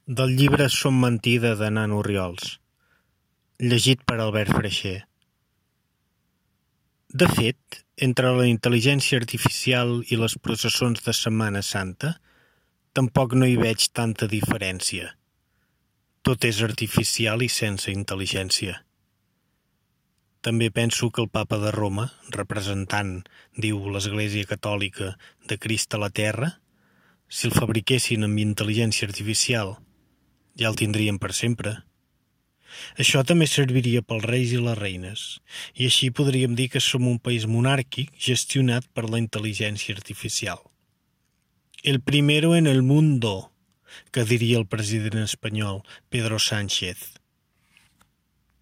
Del llibre Som mentida de Nano Orriols, llegit per Albert Freixer. De fet, entre la intel·ligència artificial i les processons de Setmana Santa, tampoc no hi veig tanta diferència. Tot és artificial i sense intel·ligència. També penso que el Papa de Roma, representant, diu l'Església Catòlica, de Crist a la Terra, si el fabriquessin amb intel·ligència artificial, ja el tindrien per sempre. Això també serviria pels reis i les reines, i així podríem dir que som un país monàrquic gestionat per la intel·ligència artificial. El primero en el mundo, que diria el president espanyol Pedro Sánchez.